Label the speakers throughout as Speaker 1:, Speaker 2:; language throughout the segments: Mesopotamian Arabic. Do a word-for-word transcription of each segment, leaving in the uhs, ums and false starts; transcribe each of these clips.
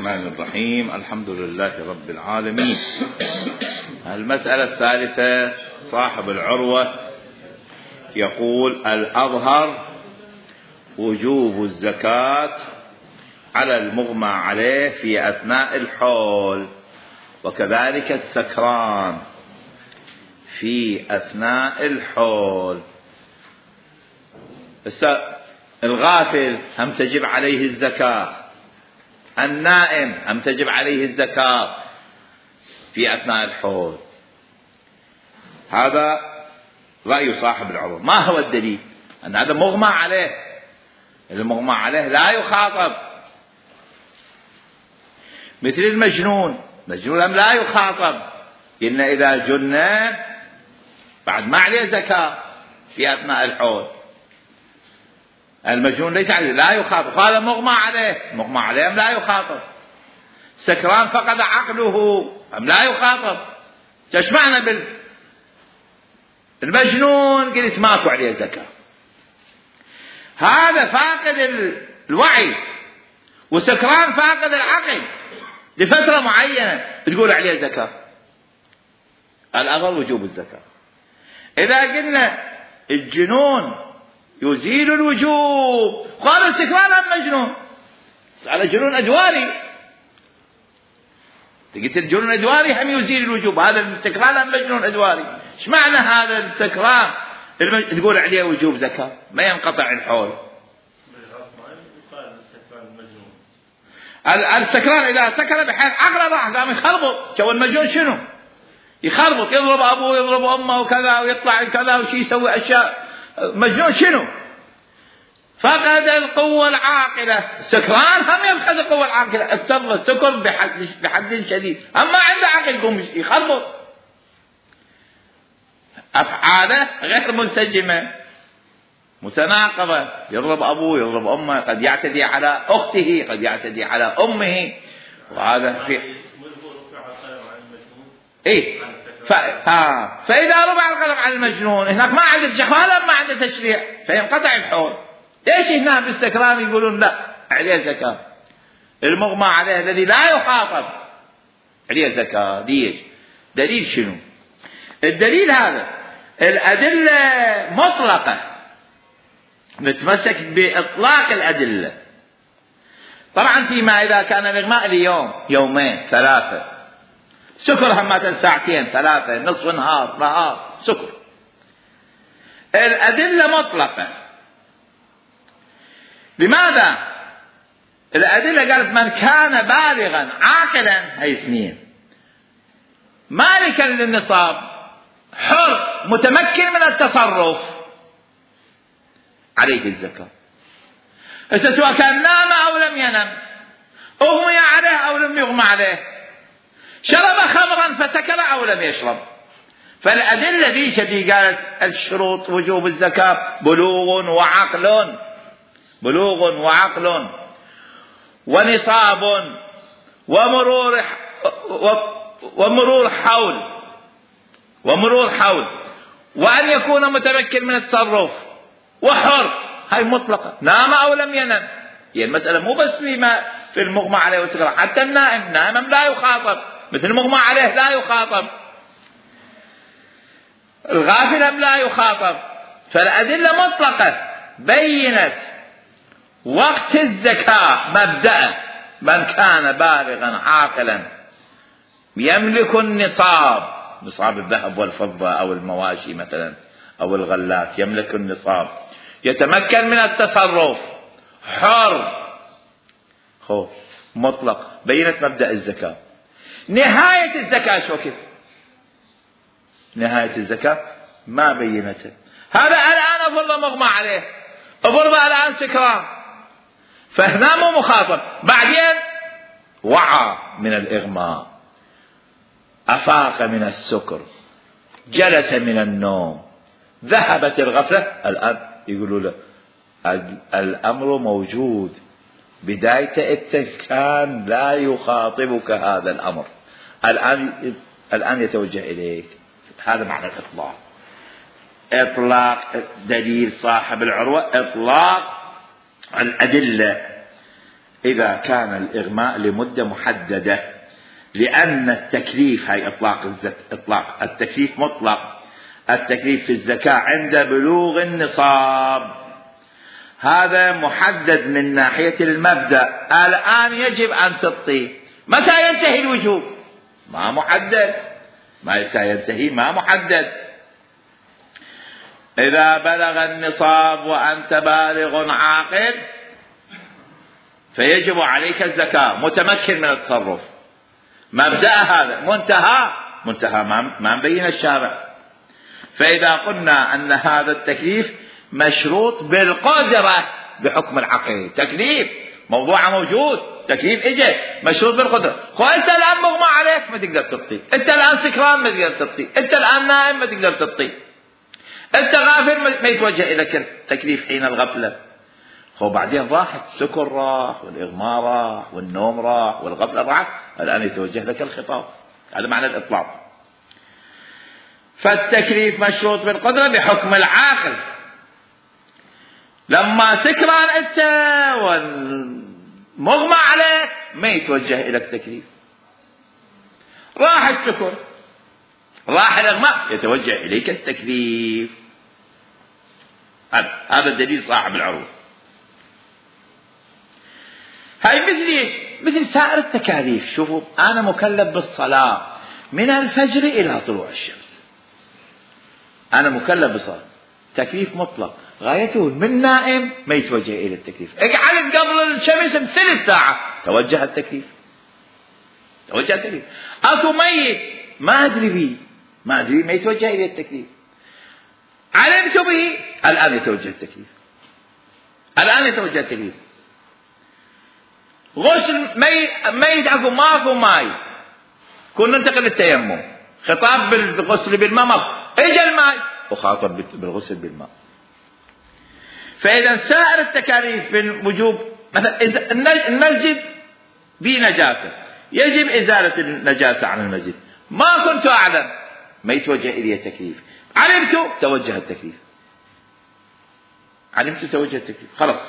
Speaker 1: الرحمن الرحيم. الحمد لله رب العالمين. المسألة الثالثة، صاحب العروة يقول: الأظهر وجوب الزكاة على المغمى عليه في أثناء الحول، وكذلك السكران في أثناء الحول. الغافل هم تجب عليه الزكاة، النائم هم تجب عليه الزكاة في أثناء الحول. هذا رأي صاحب العروة. ما هو الدليل؟ أن هذا مغمى عليه، المغمى عليه لا يخاطب، مثل المجنون، مجنون لا يخاطب، إن إذا جن بعد ما عليه زكاة في أثناء الحول. المجنون ليس عليه، لا يخاطب، هذا مغمى عليه، مغمى عليه لا يخاطب. سكران فقد عقله أم لا يخاطب. ايش معنى بال المجنون؟ قلت ماكو عليه زكاة، هذا فاقد الوعي، وسكران فاقد العقل لفترة معينة تقول عليه زكاة. الأظهر وجوب الزكاة. إذا قلنا الجنون يزيل الوجوب، قال السكران هم مجنون، على جنون أدواري، قلت الجنون أدواري هم يزيل الوجوب، هذا السكران هم مجنون أدواري. ايش معنى هذا السكران تقول عليه وجوب زكاة؟ ما ينقطع الحول. السكران إذا سكر بحيث عقله راح قام يخربط، جو المجنون شنو؟ يخربط، يضرب أبوه يضرب أمه وكذا، ويطلع كذا وشي يسوي أشياء. مجنون شنو؟ فقد القوة العاقلة. سكران هم يفقد القوة العاقلة، السر السكر بحد بحد شديد، أما عنده عقل يقوم يخربط. أفعاله غير منسجمة متناقضة، يضرب أبوه يضرب أمه، قد يعتدي على أخته، قد يعتدي على أمه، وهذا في إيه ف... ها. فإذا ربع القلم على المجنون هناك ما عنده شخالة، ما عنده تشريع، فينقطع الحول. ليش هنا بالسكران يقولون لا عليه زكاة؟ المغمى عليه الذي لا يخاطب عليه زكاة. ليش؟ دليل شنو؟ الدليل هذا الأدلة مطلقة، نتمسك بإطلاق الأدلة. طبعا فيما إذا كان الإغماء ليوم يومين ثلاثة، سكر همات ساعتين ثلاثة، نصف نهار نهار سكر، الأدلة مطلقة. لماذا؟ الأدلة قالت من كان بالغا عاقلا، هي اثنين، مالكا للنصاب، حر متمكن من التصرف، عليه الزكاة. سواء كان نام أو لم ينم، أغمي عليه أو لم يغمى عليه، شرب خمرا فسكر أو لم يشرب. فالأدلة ذي شدي قالت الشروط وجوب الزكاة بلوغ وعقل، بلوغ وعقل ونصاب ومرور ومرور حول ومرور حول وأن يكون متمكن من التصرف وحر، هاي مطلقة، نام أو لم ينم. هي يعني المسألة مو بس فيما في المغمى عليه والسكران، حتى النائم نائم لا يخاطب، مثل المغمى عليه لا يخاطب، الغافل لا يخاطب. فالأدلة مطلقة بينت وقت الزكاة مبدأ من كان بالغا عاقلا يملك النصاب، نصاب الذهب والفضة أو المواشي مثلا أو الغلات، يملك النصاب، يتمكن من التصرف، حر، خوف مطلق، بينت مبدأ الزكاة. نهاية الزكاة شو كيف؟ نهاية الزكاة ما بينته. هذا الآن أفرض مغمى عليه، أفرض الآن سكران، فهنا مو مخاطب، بعدين وعى من الإغماء، أفاق من السكر، جلس من النوم، ذهبت الغفلة، الآن يقولوا له الأمر موجود، بداية التذكان لا يخاطبك هذا الأمر، الآن الآن يتوجه إليك. هذا معنى الإطلاق. إطلاق دليل صاحب العروة، إطلاق الأدلة إذا كان الإغماء لمدة محددة، لأن التكليف هاي إطلاق الزك... إطلاق التكليف مطلق، التكليف في الزكاة عند بلوغ النصاب، هذا محدد من ناحية المبدأ. الآن يجب أن تعطي. متى ينتهي الوجوب؟ ما محدد. متى ينتهي؟ ما محدد. إذا بلغ النصاب وأنت بالغ عاقل فيجب عليك الزكاة، متمكن من التصرف. مبدأ هذا. منتهى منتهى ما مبين الشارع. فإذا قلنا أن هذا التكليف مشروط بالقدرة بحكم العقل، تكليف موضوع موجود، تكليف اجى مشروط بالقدرة. خو انت الآن مغمى عليك ما تقدر تطي، انت الآن سكران ما تقدر تطي، انت الآن نائم ما تقدر تطي، انت غافل ما يتوجه اليك التكليف حين الغفلة. خو بعدين راحت، السكر راح والإغماء راح والنوم راح والغفلة راحت، الآن يتوجه لك الخطاب. هذا معنى الإطلاق. فالتكليف مشروط بالقدرة بحكم العاقل. لما سكران انت والمغمى عليك ما يتوجه الى التكليف. راح السكر راح الاغماء يتوجه اليك التكليف. هذا الدليل صاحب العروض. هاي مثل ايش؟ مثل سائر التكاليف. شوفوا انا مكلف بالصلاة من الفجر الى طلوع الشمس، انا مكلف بالصلاة، تكليف مطلق، غايته من نائم ما يتوجه إلى التكليف. اقعد قبل الشمس بثلث ساعة توجه التكليف، توجه التكليف. أكو ميت ما أدري به، ما أدري ما يتوجه إلى التكليف. علمت به الآن يتوجه التكليف، الآن يتوجه التكليف. غسل ميت ميت أكو ما أكو ماي، كنا ننتقل للتيمم، خطاب بالغسل بالماء، إجا الماء وخاطب بالغسل بالماء. فإذا سائر التكاليف بالوجوب، مثلا المسجد بنجاسة يجب إزالة النجاسة عن المسجد، ما كنت أعلم ما يتوجه إلي التكليف، علمت توجه التكليف، علمت توجه التكليف خلاص.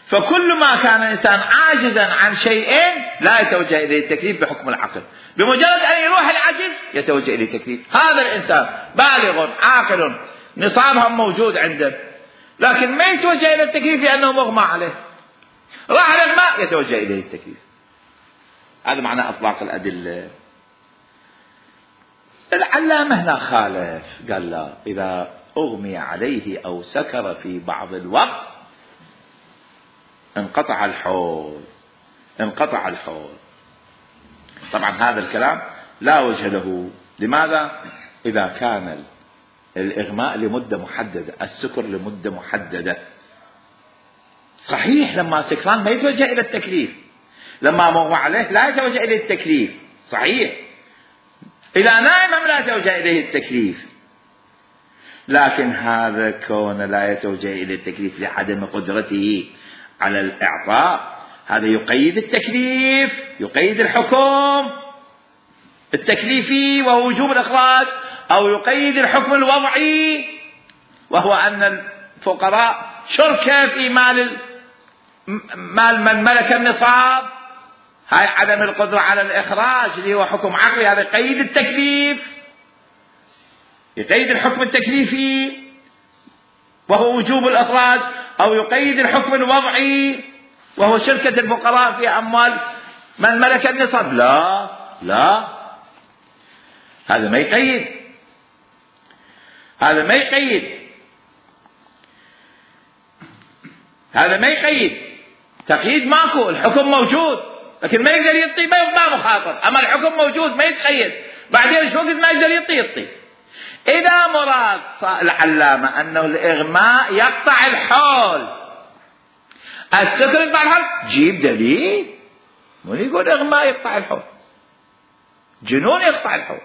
Speaker 1: فكل ما كان الإنسان عاجزا عن شيئين لا يتوجه إليه التكليف بحكم العقل، بمجرد أن يروح العجز يتوجه إليه التكليف. هذا الإنسان بالغ عاقل نصابها موجود عنده، لكن ما يتوجه إلى التكليف لأنه مغمى عليه، راح للماء يتوجه إليه التكليف. هذا معنى أطلاق الأدلة. العلامة هنا خالف، قال لا، إذا أغمي عليه أو سكر في بعض الوقت انقطع الحول، انقطع الحول. طبعا هذا الكلام لا وجه له. لماذا؟ إذا كان الإغماء لمدة محددة، السكر لمدة محددة، صحيح لما سكران ما يتوجه إلى التكليف، لما مغمى عليه لا يتوجه إليه التكليف، صحيح. إلى نائم لا يتوجه إليه التكليف، لكن هذا كون لا يتوجه إليه التكليف لعدم قدرته على الإعطاء، هذا يقيد التكليف، يقيد الحكم التكليفي وهو وجوب الإخراج، أو يقيد الحكم الوضعي وهو أن الفقراء شركة في مال مال من ملك النصاب، هاي عدم القدرة على الإخراج اللي هو حكم عقلي، هذا يقيد التكليف، يقيد الحكم التكليفي وهو وجوب الإخراج، أو يقيد الحكم الوضعي وهو شركة الفقراء في أموال من ملك النصاب. لا لا، هذا ما يقيد، هذا ما يقيد، هذا ما يقيد. تقييد ماكو، الحكم موجود لكن ما يقدر يعطي، ما مخاطر. أما الحكم موجود ما يتقيد، بعدين شو وقت ما يقدر يعطي يعطي. إذا مراد العلامة أنه الإغماء يقطع الحول، السكر يقطع الحول، جيب دليل. مو يقول إغماء يقطع الحول، جنون يقطع الحول،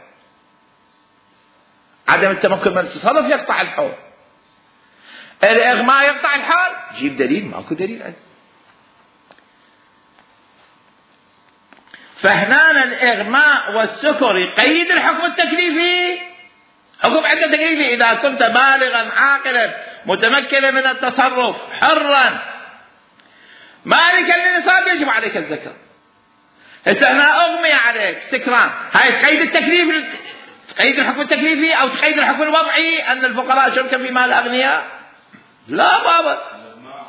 Speaker 1: عدم التمكن من التصرف يقطع الحول، الإغماء يقطع الحول، جيب دليل. ماكو دليل عندي. فهنا الإغماء والسكر يقيد الحكم التكليفي، حكم عند تكليفي. إذا كنت بالغا عاقلا متمكنا من التصرف حرا مالك للنصاب يجب عليك الزكاة. هسه هنا أغمي عليك سكران، هاي تقيد التكليف، تقيد الحكم التكليفي أو تقيد الحكم الوضعي أن الفقراء شركا في مال الأغنياء؟ لا بابا.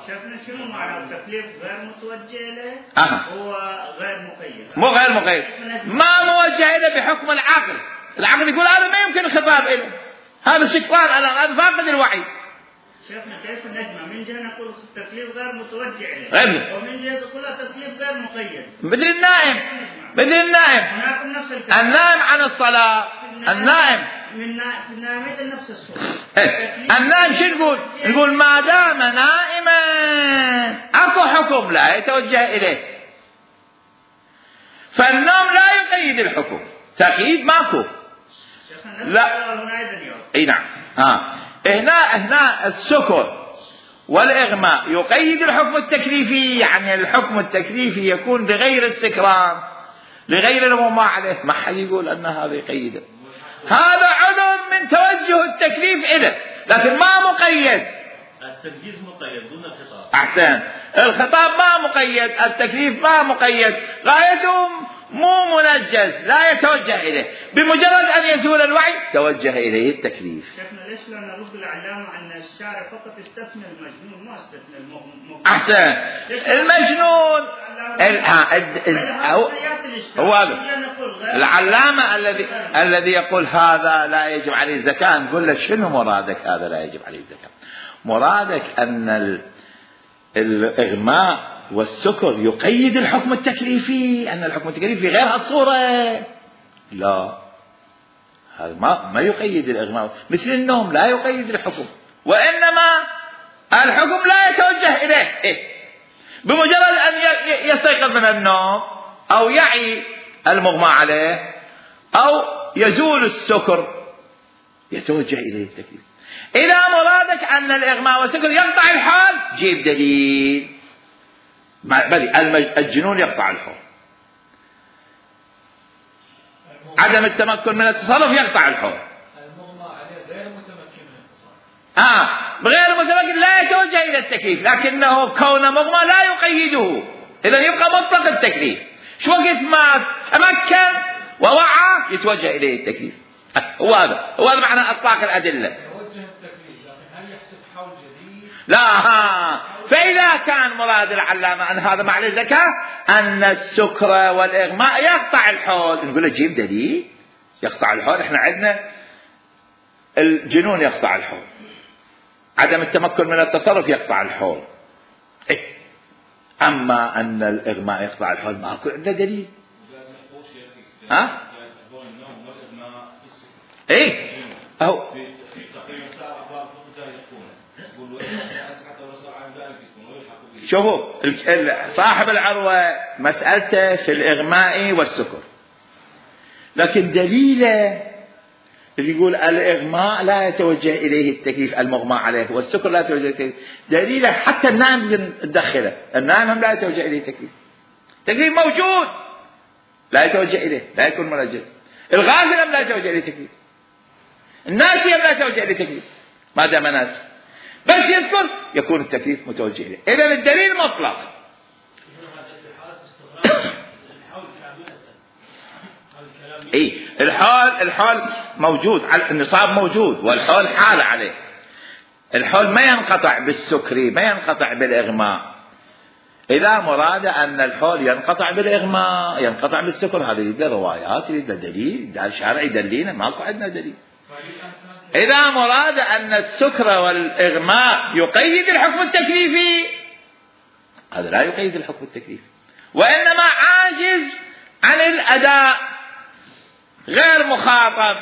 Speaker 2: شفنا شنو معنى التكليف غير متوجه له؟
Speaker 1: أه.
Speaker 2: هو غير مقيد.
Speaker 1: مو غير مقيد، ما موجه له بحكم العقل. العقل يقول هذا ما يمكن الخطاب له، هذا شكران الآن، هذا فاقد الوعي.
Speaker 2: شيخنا كيف نجمع؟ من جهة نقول التكليف غير متوجه له،
Speaker 1: غير.
Speaker 2: ومن جهة نقول التكليف غير مقيد.
Speaker 1: مثل النائم، مثل النائم.
Speaker 2: هناك نفس الكلام.
Speaker 1: النائم عن الصلاة، النائم.
Speaker 2: من النائم نفس الصورة.
Speaker 1: النائم شو نقول؟ نقول ما دام نائما اكو حكم لا يتوجه اليه. فالنوم لا يقيد الحكم، تقييد ماكو. لا. اي نعم. ها. هنا هنا السكر والإغماء يقيد الحكم التكليفي، يعني الحكم التكليفي يكون لغير السكران، لغير المغمى عليه، ما حد يقول أن هذا يقيده. هذا عضو من توجه التكليف إليه، لكن ما مقيد.
Speaker 3: التنجيز مقيد دون الخطاب.
Speaker 1: أحسن. الخطاب ما مقيد، التكليف ما مقيد، غايته مو منجز، لا يتوجه إليه، بمجرد أن يزول الوعي توجه إليه التكليف.
Speaker 2: شيخنا ليش لا نرد العلامة أن الشارع فقط استثنى المجنون ما استثنى المغمى؟
Speaker 1: أحسن. المجنون هو العلامة الذي الذي يقول هذا لا يجب عليه الزكاة، نقول له شنو مرادك هذا لا يجب عليه الزكاة؟ مرادك أن الإغماء والسكر يقيد الحكم التكليفي، أن الحكم التكليفي غير هالصورة. لا، هذا ما ما يقيد الإغماء، مثل النوم لا يقيد الحكم، وإنما الحكم لا يتوجه إليه. إيه؟ بمجرد أن يستيقظ من النوم أو يعي المغمى عليه أو يزول السكر يتوجه إليه التكليف. إذا مرادك أن الإغماء والسكر يقطع الحال، جيب دليل. بل الجنون يقطع الحول، عدم التمكن من التصرف يقطع الحول.
Speaker 4: المغمى عليه غير متمكن من التصرف.
Speaker 1: آه غير متمكن لا يتوجه إلى التكليف، لكنه كون مغمى لا يقيده، إذا يبقى مطلق التكليف. شو وقت ما تمكن ووعى يتوجه إليه التكليف. هو هذا هو هذا معنى إطلاق الأدلة.
Speaker 4: يتوجه التكليف، لكن هل يحسب حول جديد؟
Speaker 1: لا. ها. فإذا كان مراد العلامة أن هذا معنى الزكاة أن السكر والإغماء يقطع الحول، نقول له جيب دليل يقطع الحول. إحنا عندنا الجنون يقطع الحول، عدم التمكن من التصرف يقطع الحول. إيه؟ أما أن الإغماء يقطع الحول ماكو عنده دليل. ها؟ إيه؟ أهو شوفوا صاحب العروة مسألته في الإغماء والسكر، لكن دليله اللي يقول الإغماء لا يتوجه إليه التكليف المغمى عليه والسكر لا يتوجه إليه التكليف، دليله حتى النائم تدخله، النائم لا يتوجه إليه التكليف، التكليف موجود لا يتوجه إليه، لا يكون منجز. الغافل لا يتوجه إليه التكليف، الناسي لا يتوجه إليه التكليف، ما دام ناسي بس يذكر يكون التكليف متوجه إليه. إذا الدليل مطلق. اي الحال الحال موجود، النصاب موجود والحال حال عليه. الحال ما ينقطع بالسكري، ما ينقطع بالإغماء. إذا مراد أن الحال ينقطع بالإغماء ينقطع بالسكر، هذا يريد روايات، يريد دليل، ده الشارع يدلينا، ماكو عندنا دليل. إذا مراد أن السكر والإغماء يقيد الحكم التكليفي، هذا لا يقيد الحكم التكليفي، وإنما عاجز عن الأداء، غير مخاطب،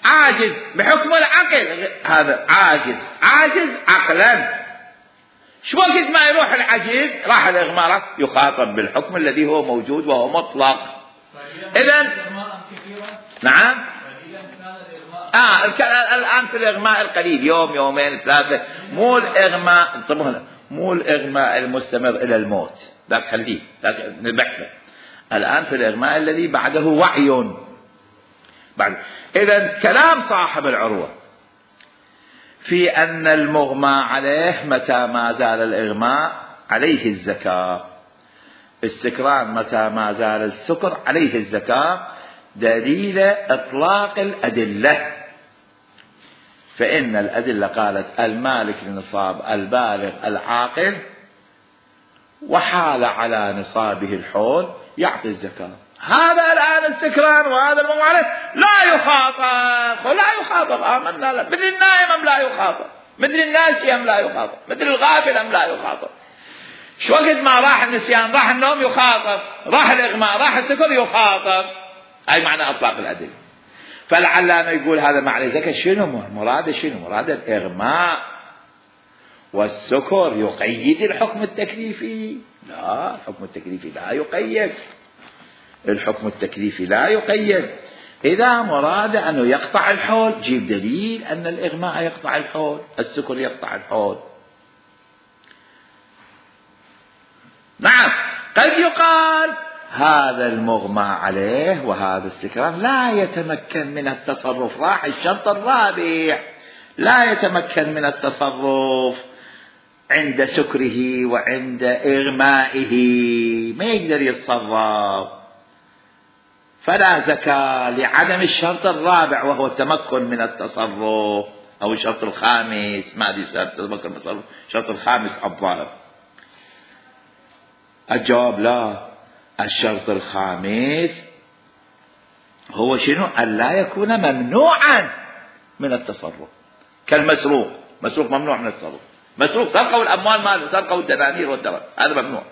Speaker 1: عاجز بحكم العقل، هذا عاجز عاجز عقلا. شو وقت ما يروح العجيز راح الإغماء يخاطب بالحكم الذي هو موجود وهو مطلق. إذن نعم. آه الآن في الإغماء القليل، يوم يومين ثلاثة، مو الإغماء انتبهوا، مو الإغماء المستمر إلى الموت، لا تخليه لا نبحثه. الآن في الإغماء الذي بعده وعي بعد. إذن كلام صاحب العروة في أن المغمى عليه متى ما زال الإغماء عليه الزكاة، السكران متى ما زال السكر عليه الزكاة دليل إطلاق الأدلة. فإن الأدلة قالت المالك للنصاب البالغ العاقل وحال على نصابه الحول يعطي الزكاة. هذا الآن السكران وهذا الممارس لا يخاطب، لا يخاطب آمنا لا. مثل النائم أم لا يخاطب، مثل الناسي أم لا يخاطب، مثل الغافل أم لا يخاطب. شو وقت ما راح النسيان راح النوم يخاطب، راح الإغماء راح السكر يخاطب. أي معنى إطلاق الأدلة. فالعلامة يقول هذا معنى زكاة شنو مراد؟ شنو مراد؟ الإغماء والسكر يقيد الحكم التكليفي؟ لا، الحكم التكليفي لا يقيد، الحكم التكليفي لا يقيد. إذا مراد أنه يقطع الحول جيب دليل أن الإغماء يقطع الحول، السكر يقطع الحول. نعم، قد يقال هذا المغمى عليه وهذا السكران لا يتمكن من التصرف، راح الشرط الرابع، لا يتمكن من التصرف عند سكره وعند إغمائه، ما يقدر يتصرف، فلا زكاة لعدم الشرط الرابع وهو التمكن من التصرف، أو الشرط الخامس، ما أدري التمكن من التصرف، الشرط الخامس الضارب. الجواب لا، الشرط الخامس هو شنو؟ أن لا يكون ممنوعا من التصرف، كالمسروق، مسروق ممنوع من التصرف، مسروق سرقوا الأموال ماله، سرقوا الدنانير والدرهم، هذا ممنوع.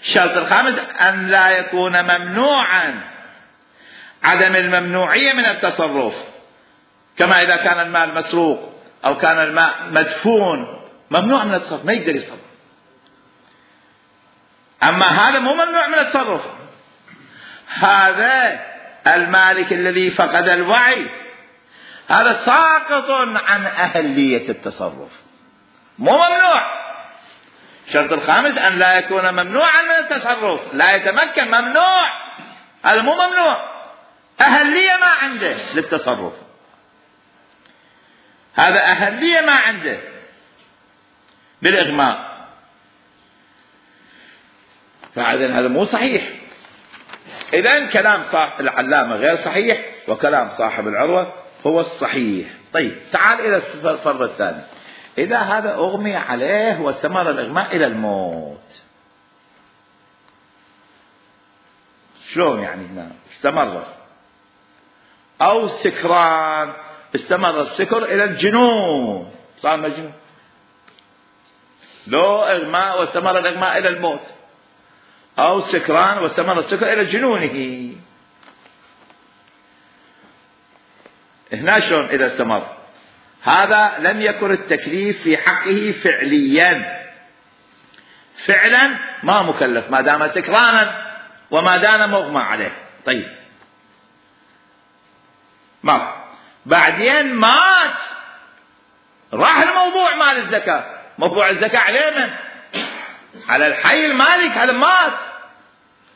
Speaker 1: الشرط الخامس أن لا يكون ممنوعا، عدم الممنوعية من التصرف، كما إذا كان المال مسروق أو كان الماء مدفون ممنوع من التصرف، ما يقدر يتصرف. أما هذا مو ممنوع من التصرف، هذا المالك الذي فقد الوعي هذا ساقط عن أهلية التصرف، مو ممنوع. الشرط الخامس أن لا يكون ممنوعا من التصرف، لا يتمكن، ممنوع، هذا مو ممنوع، أهلية ما عنده للتصرف، هذا أهلية ما عنده بالإغماء. فإذن هذا مو صحيح. إذن كلام صاحب العلامة غير صحيح، وكلام صاحب العروة هو الصحيح. طيب تعال إلى الفرض الثاني. إذا هذا أغمي عليه واستمر الإغماء إلى الموت، شلون يعني هنا استمر؟ أو سكران استمر السكر إلى الجنون، صار مجنون، لو إغماء واستمر الإغماء إلى الموت، أو سكران واستمر السكر إلى جنونه. هنا شلون إذا استمر؟ هذا لم يكن التكليف في حقه فعليا، فعلا ما مكلف ما دام سكرانا وما دام مغمى عليه. طيب ما بعدين مات، راح الموضوع مال الزكاة، موضوع الزكاة عليه من؟ على الحي المالك، هذا مات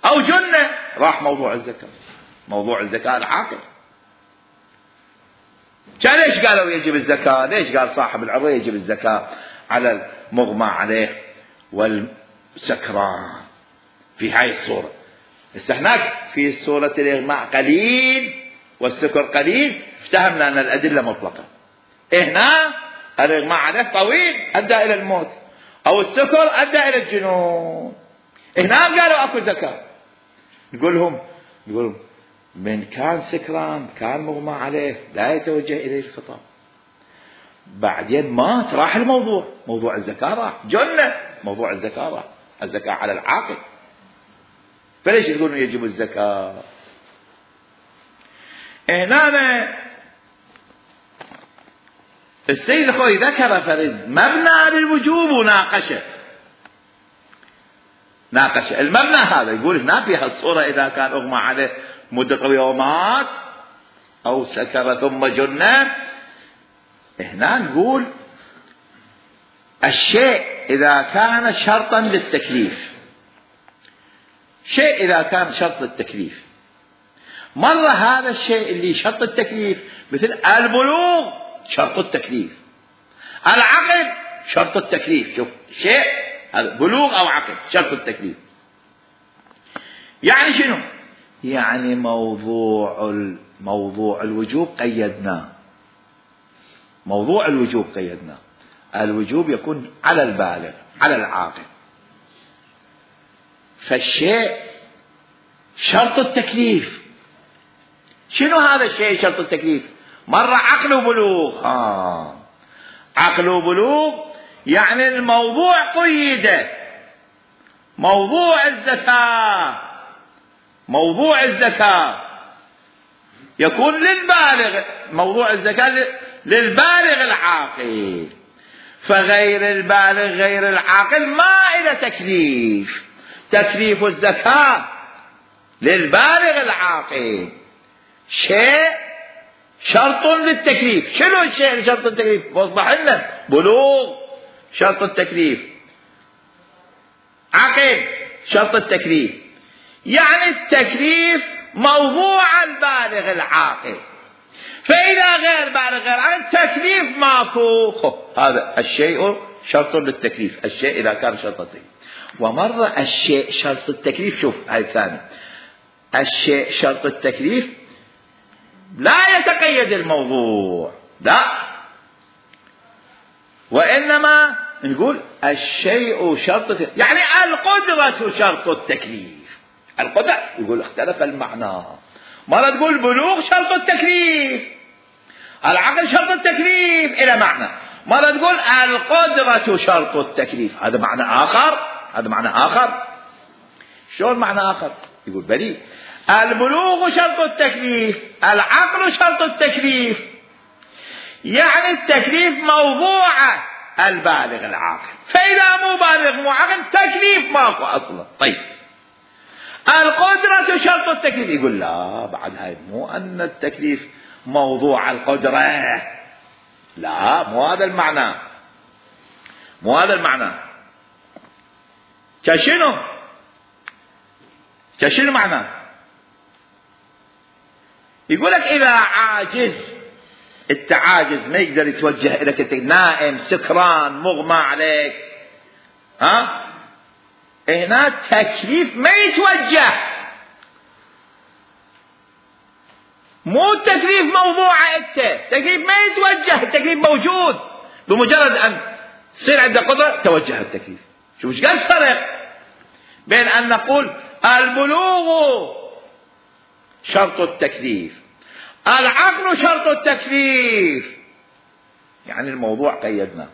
Speaker 1: أو جنة، راح موضوع الزكاة، موضوع الزكاة العاقل. كان ليش قالوا يجب الزكاة؟ ليش قال صاحب العروة يجب الزكاة على المغمى عليه والسكران في هاي الصورة؟ استهناك في صورة الإغماء قليل والسكر قليل، افتهمنا أن الأدلة مطلقة. هنا الإغماء عليه طويل أدى إلى الموت، أو السكر أدى إلى الجنون، هنا قالوا أكو زكاة. نقول لهم نقول لهم من كان سكران كان مغمى عليه لا يتوجه إليه الخطاب، بعدين مات راح الموضوع، موضوع الزكاة راح، جنة موضوع الزكاة راح، الزكاة على العاقل. فليش تقولون يجب الزكاة؟ هنا السيد الخوي ذكر فرد مبنى للوجوب وناقشه، ناقش المبنى هذا، يقول هنا في هالصورة إذا كان أغمى عليه مدة طويلة ومات أو سكر ثم جنة، هنا نقول الشيء إذا كان شرطا للتكليف، شيء إذا كان شرط للتكليف، مرة هذا الشيء اللي شرط التكليف مثل البلوغ شرط التكليف، العقل شرط التكليف، شوف شيء هذا بلوغ أو عقل شرط التكليف. يعني شنو؟ يعني موضوع موضوع الوجوب قيدناه، موضوع الوجوب قيدناه، الوجوب يكون على البالغ على العاقل. فالشيء شرط التكليف. شنو هذا الشيء شرط التكليف؟ مرة عقل وبلوغ. آه. عقل وبلوغ يعني الموضوع قيد. موضوع الزكاة، موضوع الزكاة يكون للبالغ، موضوع الزكاة للبالغ العاقل. فغير البالغ غير العاقل ما إلى تكليف. تكليف الزكاة للبالغ العاقل شيء شرط للتكليف. شنو الشيء شرط التكليف؟ وضح لنا. بلوغ شرط التكليف، عقل شرط التكليف. يعني التكليف موضوع البالغ العاقل. فإذا غير بالغ غير عاقل تكليف ماكو. هذا الشيء شرط للتكليف، الشيء إذا كان شرط التكليف. ومرة الشيء شرط التكليف، شوف هاي الثاني، الشيء شرط التكليف لا يتقيد الموضوع، لا، وإنما نقول الشيء شرط التكليف. يعني القدرة شرط التكليف. القدرة يقول اختلف المعنى. مرة تقول بلوغ شرط التكليف، العقل شرط التكليف إلى معنى. مرة تقول القدرة شرط التكليف، هذا معنى آخر، هذا معنى آخر. شلون معنى آخر؟ يقول بلي البلوغ شرط التكليف، العقل شرط التكليف. يعني التكليف موضوع البالغ العاقل. فإذا مو بالغ مو عاقل تكليف ماكو أصلا. طيب القدرة شرط التكليف، يقول لا بعد هاي مو أن التكليف موضوع القدرة، لا مو هذا المعنى، مو هذا المعنى. كشنو؟ كشنو معنى؟ يقول لك إذا عاجز، التعاجز ما يقدر يتوجه إليك، نائم سكران مغمى عليك، ها هنا تكليف ما يتوجه، مو التكليف موضوع انت، تكليف ما يتوجه، التكليف موجود، بمجرد ان تصير عندك قدرة توجه التكليف. شوف ايش قال الفرق بين ان نقول البلوغ شرط التكليف، العقل شرط التكليف. يعني الموضوع قيدنا،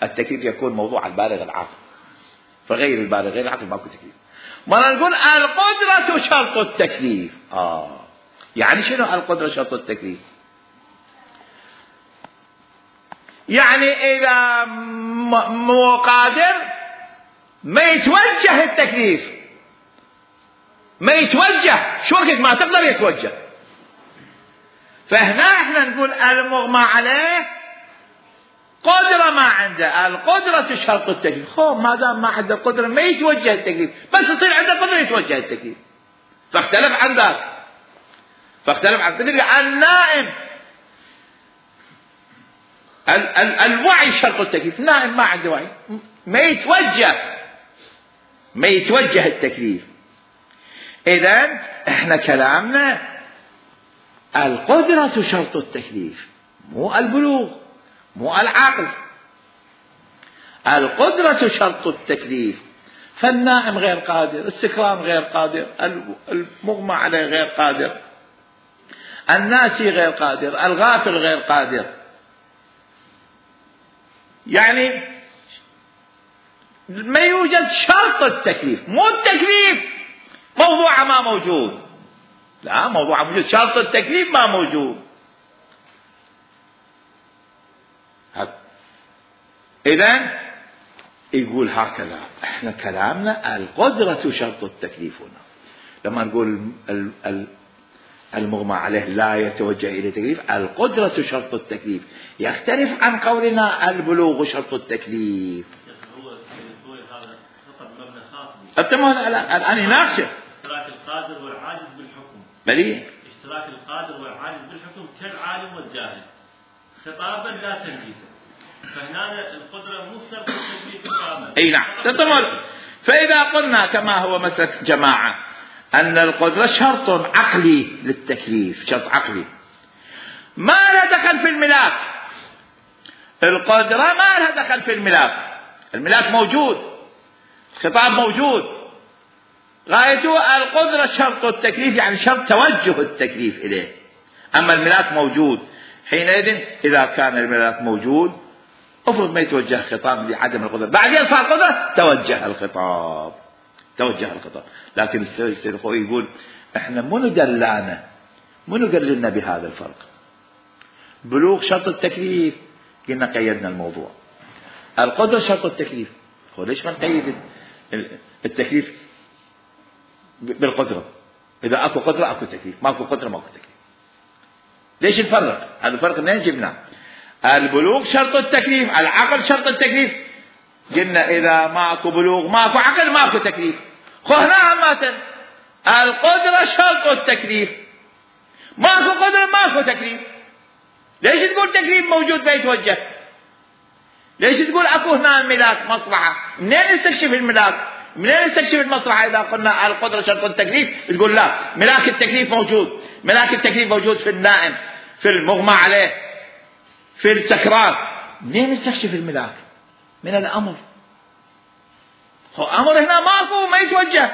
Speaker 1: التكليف يكون موضوع البالغ العاقل، فغير البالغ غير العقل ماكو تكليف. ما نقول القدرة شرط التكليف. آه يعني شنو القدرة شرط التكليف؟ يعني إذا مو قادر ما يتوجه التكليف، ما يتوجه، شو وقت ما تقدر يتوجه. فهنا احنا نقول المغمى عليه قدرة ما عنده، القدرة شرط التكليف. خو ما دام ما عنده قدرة ما يتوجه التكليف، بس يصير عنده قدرة يتوجه التكليف. فاختلف عن ذاك، فاختلف عن ذلك. النائم ال ال الوعي شرط التكليف، نائم ما عنده وعي ما يتوجه، ما يتوجه التكليف. إذن احنا كلامنا القدرة شرط التكليف، مو البلوغ، مو العقل. القدرة شرط التكليف. فالنائم غير قادر، السكران غير قادر، المغمى عليه غير قادر، الناسي غير قادر، الغافل غير قادر. يعني ما يوجد شرط التكليف، مو التكليف موضوع ما موجود، لا موضوع موجود، شرط التكليف ما موجود. إذن يقول هكذا احنا كلامنا القدرة شرط التكليف. هنا لما نقول المغمى عليه لا يتوجه إلى تكليف، القدرة شرط التكليف، يختلف عن قولنا البلوغ شرط التكليف. الآن يناقشه
Speaker 3: اشتراك القادر والعاجز بالحكم.
Speaker 1: بلي
Speaker 3: اشتراك القادر والعاجز بالحكم كالعالم والجاهل خطابا لا تنفيذا. فهنا القدرة مو شرط التكليف كامل.
Speaker 1: اي نعم تمام. فإذا قلنا كما هو مسلك جماعة أن القدرة شرط عقلي للتكليف، شرط عقلي ما لها دخل في الملاك. القدرة ما لها دخل في الملاك، الملاك موجود، الخطاب موجود، غايته القدرة شرط التكليف، يعني شرط توجه التكليف إليه. أما الملاك موجود، حينئذ إذا كان الملاك موجود افرض ما يتوجه خطاب لعدم القدرة، بعدين صار قدرة توجه الخطاب، توجه الخطاب. لكن السيد الخوئي يقول احنا منو دلانا، منو قال لنا بهذا الفرق؟ بلوغ شرط التكليف، قلنا قيدنا الموضوع. القدرة شرط التكليف، هو ليش ما نقيد التكليف بالقدرة؟ إذا أكو قدرة أكو تكليف، ما أكو قدرة ما أكو تكليف. ليش الفرق؟ هذا الفرق منين جبناه؟ البلوغ شرط التكليف، العقل شرط التكليف. قلنا إذا ماكو بلوغ ماكو عقل ماكو تكليف. خو هنا عامة القدرة شرط التكليف، ماكو قدرة ماكو تكليف. ليش تقول تكليف موجود بيتوجه؟ ليش تقول اكو هنا ملاك مصلحة؟ منين نستكشف الملاك؟ منين نستكشف المصلحة؟ إذا قلنا القدرة شرط التكليف تقول لا، ملاك التكليف موجود، ملاك التكليف موجود في النائم، في المغمى عليه، في السكران. منين نستكشف الملاك؟ من الأمر. هو أمر هنا ماكو، ما يتوجه،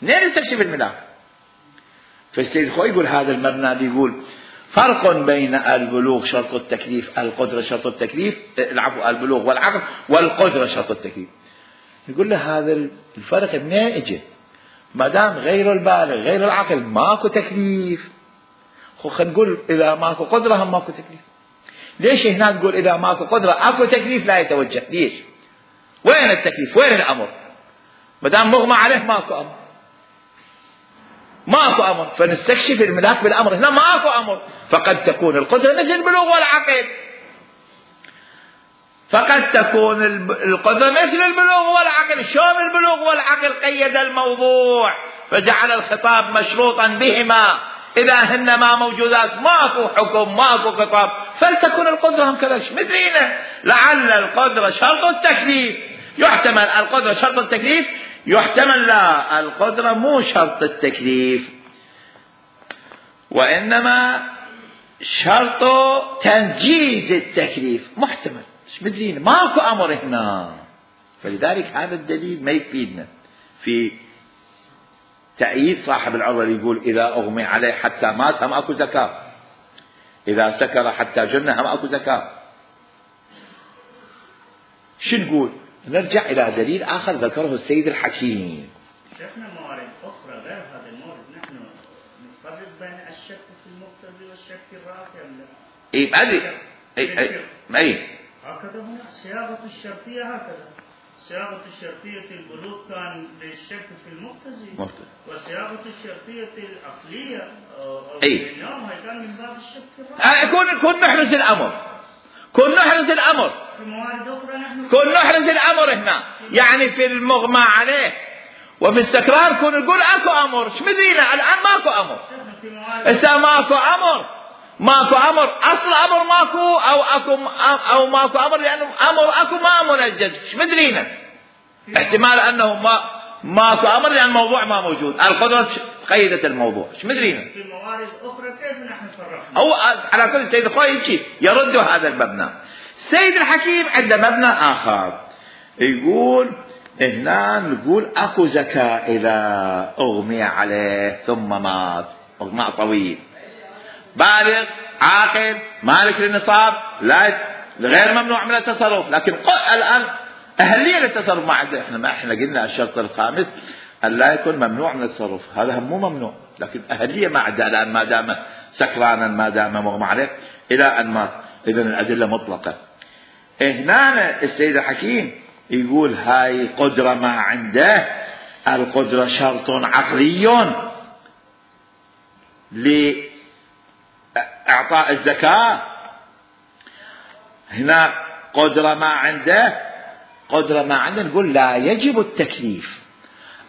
Speaker 1: منين نستكشف الملاك؟ فالسيد الخوئي يقول هذا المبنى، يقول فرق بين البلوغ شرط التكليف، القدرة شرط التكليف، العفو البلوغ والعقل، والقدرة شرط التكليف. يقول له هذا الفرق منين اجى؟ ما دام غير البالغ غير العقل ماكو تكليف، خو خلينا نقول اذا ماكو قدرة هم ماكو تكليف. ليش هنا تقول اذا ماكو قدرة اكو تكليف لا يتوجه؟ ليش؟ وين التكليف؟ وين الامر؟ ما دام مغمى عليه ماكو امر، ماكو امر، فنستكشف الملاك بالامر. هنا ماكو امر، فقد تكون القدرة مثل البلوغ والعقل، فقد تكون القدرة مثل البلوغ والعقل. شلون البلوغ والعقل قيد الموضوع فجعل الخطاب مشروطا بهما؟ إذا هن ما موجودات ماكو حكم ماكو خطاب، فلتكن القدرة هم كذلك. مدرينا لعل القدرة شرط التكليف، يحتمل القدرة شرط التكليف، يحتمل لا القدرة مو شرط التكليف، وإنما شرط تنجيز التكليف، محتمل. مش مدرين ماكو أمر هنا، فلذلك هذا الدليل ما يفيدنا في تأييد صاحب العروة اللي يقول إذا أغمي عليه حتى مات هم أكو زكاة، إذا سكر حتى جن هم أكو زكاة. شو نقول؟ نرجع إلى دليل آخر ذكره السيد الحكيم.
Speaker 2: شفنا موارد أخرى غير هذا المورد، نحن نفرق بين الشك في المقتضي والشك الرافع.
Speaker 1: إيه أدري أي أي أي
Speaker 2: هكذا هنا صياغة الشرطية، هكذا صياغة الشرطية البلوغ كان للشك في المقتضي، وصياغة الشرطية العقلية
Speaker 1: أي
Speaker 2: كان من باب الشك الرافع.
Speaker 1: كون كون نحرز الأمر، كون نحرز الأمر،
Speaker 2: في موارد أخرى نحن
Speaker 1: كون نحرز الأمر هنا، يعني في المغمى عليه وفي السكران كون نقول أكو أمر. شو مدرينا الآن ماكو أمر، إذا ماكو أمر ماكو أمر، أصل أمر ماكو أو أكو أو ماكو أمر، لأنه أمر أكو ما منجز. شو مدرينا احتمال أنه ما ماكو أمر لأن الموضوع ما موجود، القدرة قيدت الموضوع. شو مدرينا
Speaker 2: في موارد أخرى كيف نحن فرقنا؟
Speaker 1: أو على كل سيد الخوئي يرد هذا المبنى. سيد الحكيم عنده مبنى آخر، يقول هنا نقول أكو زكاة إذا أغمي عليه ثم مات، إغماء طويل، بالغ عاقل مالك للنصاب، لا غير ممنوع من التصرف. لكن الآن أهلية للتصرف ما عنده. احنا ما احنا قلنا الشرط الخامس أن لا يكون ممنوع من التصرف، هذا هم مو ممنوع، لكن أهلية ما عنده الآن ما دام سكرانا ما دام مغمى عليه إلى أن مات. إذن الأدلة مطلقة. هنا السيد الحكيم يقول هاي قدرة ما عنده، القدرة شرط عقلي لإعطاء الزكاة. هنا قدرة ما عنده، قدرة ما عنده نقول لا يجب التكليف.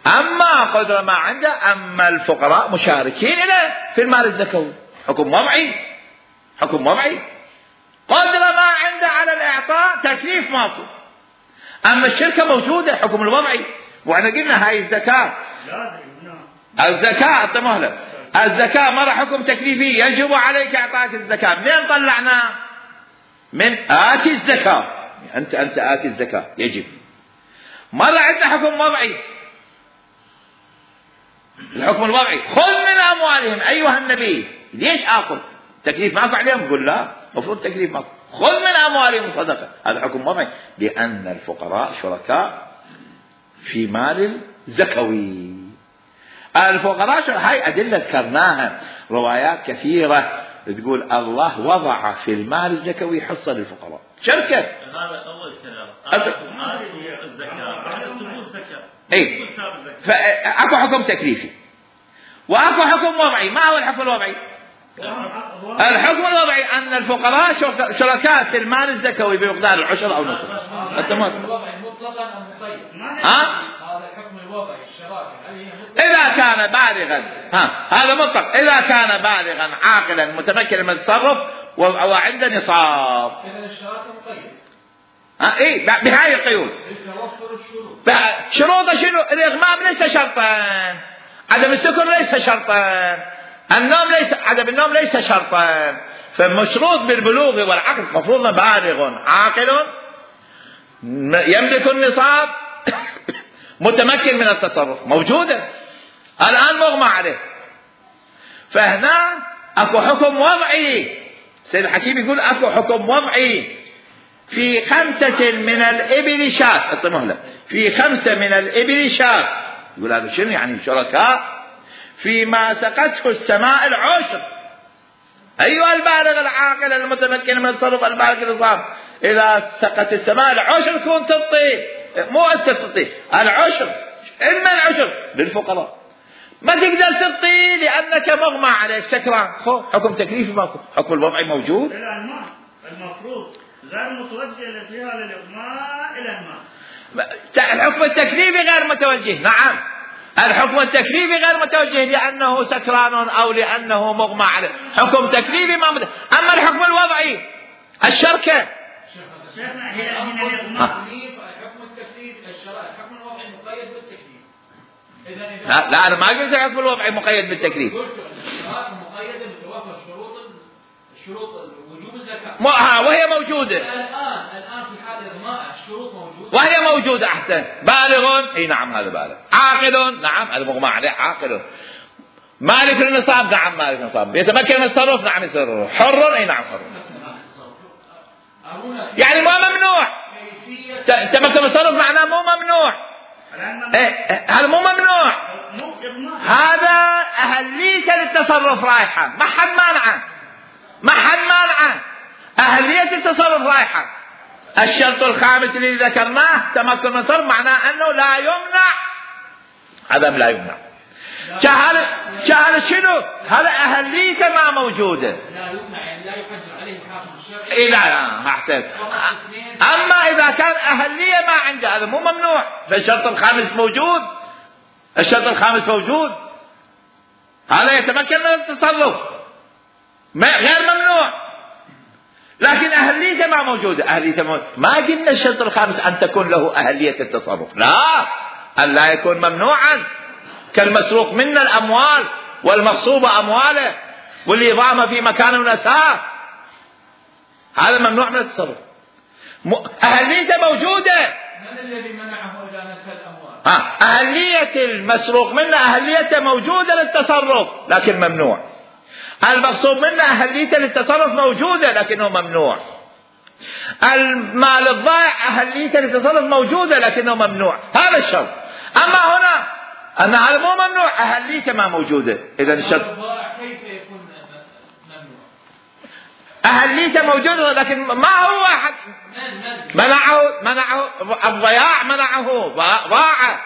Speaker 1: أما قدرة ما عنده، أما الفقراء مشاركين له في المال الزكوي، حكم وضعي، حكم وضعي. قدرة ما عنده على الإعطاء، تكليف ماكو. أما الشركة موجودة، حكم الوضعي. وأنا قلنا هاي الزكاة الزكاة انتبه، الزكاة مرة حكم تكليفي يجب عليك اعطاء الزكاة. منين طلعنا؟ من آتي الزكاة، انت انت آتي الزكاة يجب. مرة عندنا حكم وضعي، الحكم الوضعي خذ من اموالهم ايها النبي. ليش اخذ؟ تكليف ماكو عليهم؟ قل لا، المفروض تكليف ماكو. خذ من اموالهم صدقة، هذا حكم وضعي، لان الفقراء شركاء في مال الزكوي. الفقراء هاي أدلة ذكرناها، روايات كثيرة تقول الله وضع في المال الزكوي حصة للفقراء، شركة.
Speaker 3: هذا أول كلام. آتوا الزكاة، تقول زكاة.
Speaker 1: إيه. فأكو حكم تكليفي وأكو حكم وضعي. ما هو الحكم الوضعي؟ الحكم الوضعي أن الفقراء شركاء في المال الزكوي بمقدار العشر أو نصف.
Speaker 4: الوضعي مطلقا أم مقيد؟
Speaker 1: ها؟
Speaker 4: هذا الحكم الوضعي الشراكة هل هي مطلقا؟
Speaker 1: إذا كان بالغا، ها هذا مطلق، إذا كان بالغا عاقلا متمكنا من التصرف وعنده نصاب.
Speaker 4: إذا الشراكة مقيد.
Speaker 1: ها إيه بهاي القيود. شروطه شنو؟ الإغمام ليس شرطا، عدم السكر ليس شرطا، النوم ليس، عدم النوم ليس شرطا. فمشروط بالبلوغ والعقل، مفروض بالغ عاقل يملك النصاب متمكن من التصرف، موجودة الآن مغمى عليه. فهنا أكو حكم وضعي. سيد الحكيم يقول أكو حكم وضعي في خمسة من الإبل شاة، اطمه في خمسة من الإبل شاة. يقول هذا شنو يعني؟ شركاء فيما سقته السماء العشر. أيها البالغ العاقل المتمكن من التصرف البالغ النصاب، إذا سقت السماء العشر كون تعطي، مو أنت تعطي العشر. إما العشر للفقراء، ما تقدر تعطي لأنك مغمى عليك سكران. خو حكم تكليفي ماكو، حكم الوضعي موجود.
Speaker 2: إلى الماء المفروض غير متوجه فيها للإغماء إلى الماء.
Speaker 1: الحكم التكليفي غير متوجه، نعم الحكم التكليفي غير متوجه لأنه سكران أو لأنه مغمى عليه، حكم تكليفي ما مت... أما الحكم الوضعي الشركة
Speaker 2: شيخنا هي هنا الإغماء.
Speaker 4: الحكم التكليفي الحكم الوضعي مقيد بالتكليف. إذا
Speaker 1: لا, لا أنا ما قلت الحكم الوضعي مقيد بالتكليف.
Speaker 4: قلت الشراكة مقيدة بتوافر شروط شروط وجوب الزكاة.
Speaker 1: ما وهي موجودة
Speaker 4: الآن الآن في حال إغماء الشروط موجودة.
Speaker 1: وهي موجودة. أحسن. بالغ، إي نعم هذا بالغ. عاقل، نعم المغمى عليه عاقل. مالك النصاب، نعم مالك النصاب. يتمكن من التصرف، نعم يتصرف. حر، إي نعم حر. يعني مو ممنوع. تمكن من التصرف معناه مو ممنوع. هذا مو ممنوع، هذا أهلية للتصرف رايحة، ما حد مانعه، ما حد مانعه، أهلية التصرف رايحة. الشرط الخامس اللي ذكرناه تمكن من التصرف، معناه أنه لا يمنع، عدم لا يمنع. شهادة شهادة شنو؟ هذا أهلية ما موجودة.
Speaker 4: لا يمنع يعني لا يحجر عليه الحاكم الشرعي.
Speaker 1: إيه لا لا أحسن. أما إذا كان أهلية ما عنده هذا مو ممنوع. فالشرط الخامس موجود، الشرط الخامس موجود، هذا يتمكن من التصرف غير ممنوع. لكن أهلية ما موجودة. أهلية موجودة. ما قلنا الشرط الخامس أن تكون له أهلية التصرف، لا، أن لا يكون ممنوعا كالمسروق منا الأموال والمغصوبة أمواله والإضامة في مكان ونساء، هذا ممنوع من التصرف. أهلية موجودة.
Speaker 4: من الذي منعه إذا نسى الأموال؟
Speaker 1: ها أهلية المسروق منا أهلية موجودة للتصرف لكن ممنوع. المغصوب منا أهلية للتصرف موجودة لكنه ممنوع. المال الضائع أهلية للتصرف موجودة لكنه ممنوع. هذا الشرط. أما هنا أن هذا مو ممنوع، أهلية ما موجودة. إذا الشرط
Speaker 4: كيف يكون ممنوع؟
Speaker 1: أهلية موجودة لكن ما هو أحد منعه، منعه الضياع، منعه ضاع،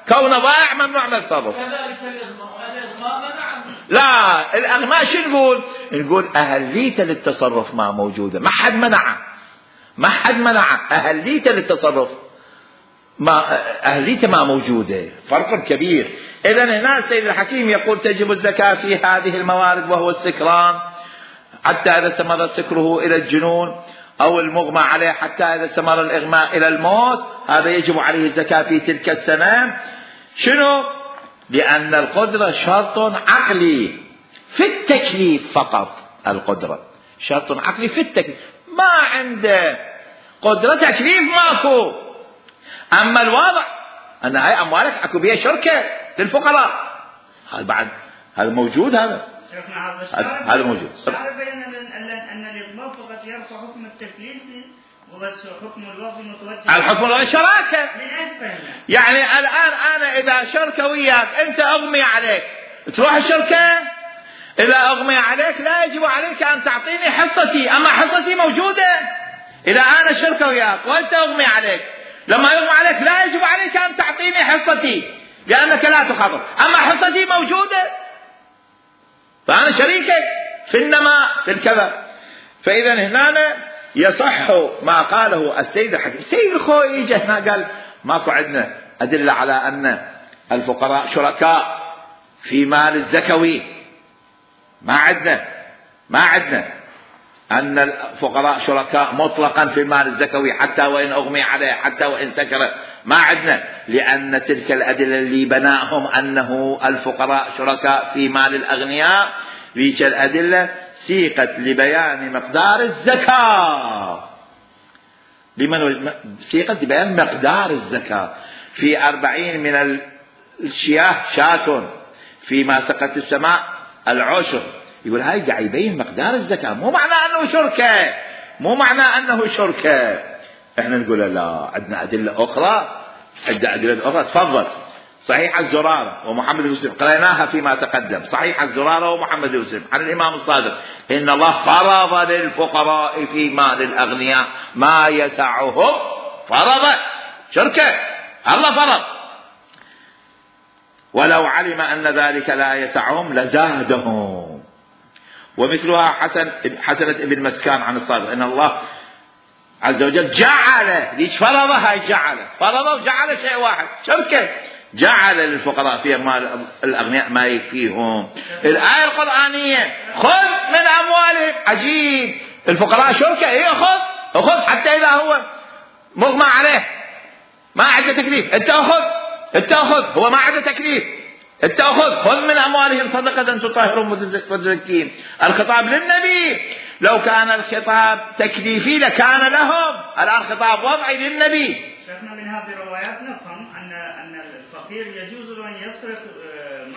Speaker 1: كون ضائع ممنوع من التصرف.
Speaker 4: كذلك الإغماء، الإغماء منعه.
Speaker 1: لا الأغماء شو نقول؟ نقول أهلية للتصرف ما موجودة، ما حد منعه، ما حد منعه، أهلية للتصرف ما أهلية ما موجودة، فرق كبير. إذا هنا السيد الحكيم يقول تجب الزكاة في هذه الموارد وهو السكران حتى إذا استمر سكره إلى الجنون، أو المغمى عليه حتى إذا استمر الإغماء إلى الموت، هذا يجب عليه الزكاة في تلك السنة. شنو؟ لأن القدرة شرط عقلي في التكليف فقط. القدرة شرط عقلي في التكليف، ما عنده قدرة تكليف ماكو. أما الواضع أن هاي أموالك أكو بها شركة للفقراء، هذا بعد هذا موجود. هذا هذا موجود.
Speaker 2: أن الإضمار فقط يرفع حكم التكليف وبس حكم الوقف متوجه.
Speaker 1: الحكم الشراكة. يعني الآن أنا إذا شركة وياك أنت أغمي عليك تروح الشركة، إذا أغمي عليك لا يجب عليك أن تعطيني حصتي، أما حصتي موجودة. إذا أنا شركة وياك وأنت أغمي عليك، لما يغمى عليك لا يجب عليك أن تعطيني حصتي لأنك لا تخاطر، أما حصتي موجودة فأنا شريكك في النماء في الكذا. فإذا هنا يصح ما قاله السيد الحكيم. السيد الخوئي يجي هنا قال ماكو عندنا أدلة على أن الفقراء شركاء في مال الزكوي، ما عندنا ما عندنا أن الفقراء شركاء مطلقا في المال الزكوي حتى وإن أغمي عليه حتى وإن سكر، ما عندنا، لأن تلك الأدلة اللي بناهم أنه الفقراء شركاء في مال الأغنياء، ذيك الأدلة سيقت لبيان مقدار الزكاة. لمن سيقت لبيان مقدار الزكاة؟ في أربعين من الشياه شاة، فيما سقت السماء العشر. يقول هاي قاعد يبين مقدار الزكاة، مو معنى أنه شركة، مو معنى أنه شركة. احنا نقول لا، عندنا أدلة أخرى، عندنا أدلة أخرى. تفضل. صحيح الزرارة ومحمد بن يوسف قرأناها فيما تقدم، صحيح الزرارة ومحمد بن يوسف عن الإمام الصادق إن الله فرض للفقراء في مال الأغنياء ما يسعهم. فرض شركة، الله فرض. ولو علم أن ذلك لا يسعهم لزادهم. ومثلها حسن حسنة ابن مسكان عن الصادق إن الله عز وجل جعل، ليش فرضها؟ جعل فرضه وجعل شيء واحد شركة، جعل للفقراء في مال الأغنياء ما يكفيهم. الآية القرآنية خذ من أموالهم، عجيب، الفقراء شركة، إيه خذ أخذ حتى إذا هو مغمى عليه ما عنده تكليف، أنت أخذ أنت أخذ هو ما عنده تكليف، أنت أخذ خذ من أموالهم صدقة تطهرهم وتزكيهم. الخطاب للنبي، لو كان الخطاب تكليفي لكان لهم، الآن خطاب وضعي للنبي.
Speaker 2: شيخنا من هذه الروايات نفهم أن أن الفقير يجوز له أن يصرف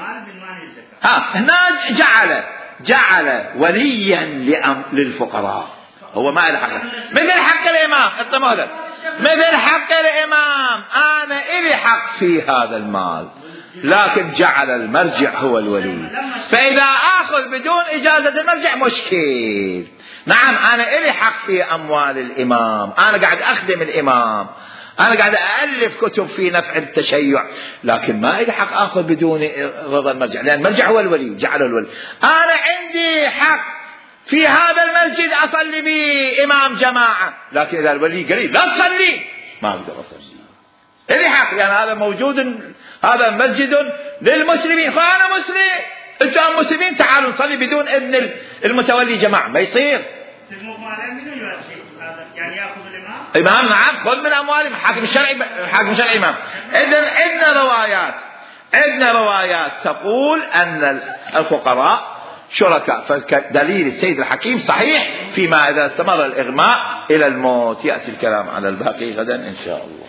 Speaker 2: مال بالمال الزكاة.
Speaker 1: ها هنا جعل جعل وليا للفقراء، هو ما له حق، مثل حق الإمام الطموله، مثل حق الإمام أنا إلي حق في هذا المال، لكن جعل المرجع هو الولي. فإذا آخذ بدون إجازة المرجع مشكل. نعم أنا إلي حق في أموال الإمام، أنا قاعد أخدم الإمام، أنا قاعد أألف كتب في نفع التشيع، لكن ما إلي حق آخذ بدون رضا المرجع، لأن المرجع هو الولي، جعله الولي. أنا عندي حق في هذا المسجد أصلي به إمام جماعة، لكن إذا الولي قريب لا تصلي ما أقدر أصلي، إلي حق، لأن يعني هذا موجود، هذا مسجد للمسلمين، فأنا مسلم، أنتم مسلمين تعالوا نصلي بدون إذن المتولي جماعة، ما يصير.
Speaker 2: يعني يأخذ الإمام؟
Speaker 1: إمام نعم، خذ من أموالهم، حاكم الشرعي، حاكم الشرعي إمام. إذن عندنا روايات، عندنا روايات تقول أن الفقراء شركاء، فدليل السيد الحكيم صحيح فيما إذا استمر الإغماء إلى الموت. يأتي الكلام على الباقي غدا إن شاء الله.